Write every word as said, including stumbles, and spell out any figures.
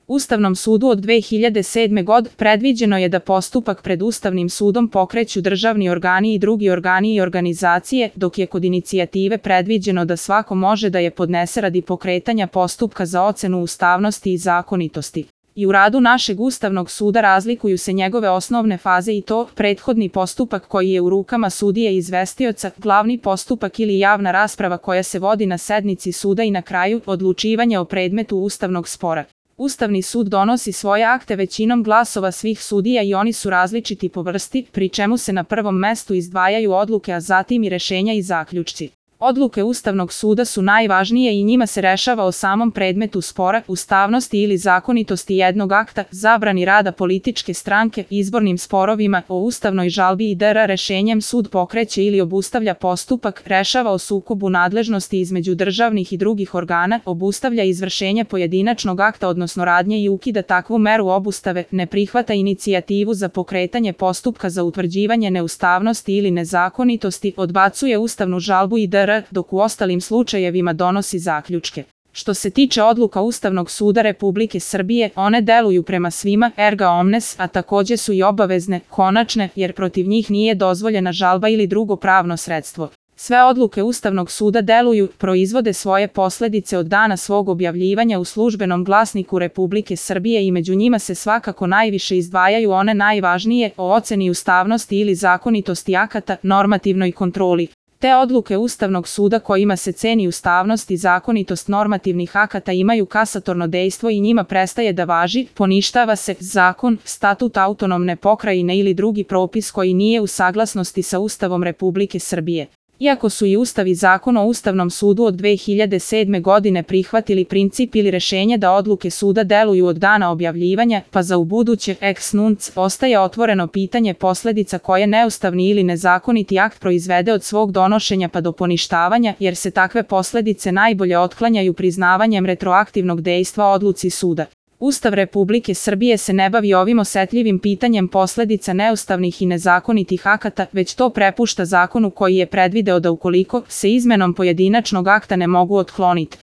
Ustavnom sudu od dve hiljade sedme. godine predviđeno je da postupak pred Ustavnim sudom pokreću državni organi i drugi organi i organizacije, dok je kod inicijative predviđeno da svako može da je podnese radi pokretanja postupka za ocenu ustavnosti i zakonitosti. I u radu našeg Ustavnog suda razlikuju se njegove osnovne faze i to prethodni postupak koji je u rukama sudije i izvestioca, glavni postupak ili javna rasprava koja se vodi na sednici suda i na kraju odlučivanje o predmetu ustavnog spora. Ustavni sud donosi svoje akte većinom glasova svih sudija i oni su različiti po vrsti, pri čemu se na prvom mestu izdvajaju odluke, a zatim i rešenja i zaključci. Odluke Ustavnog suda su najvažnije i njima se rešava o samom predmetu spora, ustavnosti ili zakonitosti jednog akta, zabrani rada političke stranke, izbornim sporovima, o ustavnoj žalbi itd. Rešenjem sud pokreće ili obustavlja postupak, rešava o sukobu nadležnosti između državnih i drugih organa, obustavlja izvršenje pojedinačnog akta odnosno radnje i ukida takvu meru obustave, ne prihvata inicijativu za pokretanje postupka za utvrđivanje neustavnosti ili nezakonitosti, odbacuje ustavnu žalbu itd. Dok u ostalim slučajevima donosi zaključke. Što se tiče odluka Ustavnog suda Republike Srbije, one deluju prema svima, erga omnes, a takođe su i obavezne, konačne, jer protiv njih nije dozvoljena žalba ili drugo pravno sredstvo. Sve odluke Ustavnog suda deluju, proizvode svoje posledice od dana svog objavljivanja u Službenom glasniku Republike Srbije i među njima se svakako najviše izdvajaju one najvažnije o oceni ustavnosti ili zakonitosti akata, normativnoj kontroli. Te odluke Ustavnog suda kojima se ceni ustavnost i zakonitost normativnih akata imaju kasatorno dejstvo i njima prestaje da važi, poništava se zakon, statut autonomne pokrajine ili drugi propis koji nije u saglasnosti sa Ustavom Republike Srbije. Iako su i Ustav i Zakon o Ustavnom sudu od dve hiljade sedme. godine prihvatili princip ili rešenje da odluke suda deluju od dana objavljivanja, pa za ubuduće ex nunc ostaje otvoreno pitanje posledica koje neustavni ili nezakoniti akt proizvede od svog donošenja pa do poništavanja, jer se takve posledice najbolje otklanjaju priznavanjem retroaktivnog dejstva odluci suda. Ustav Republike Srbije se ne bavi ovim osetljivim pitanjem posledica neustavnih i nezakonitih akata, već to prepušta zakonu koji je predvideo da ukoliko se izmenom pojedinačnog akta ne mogu otkloniti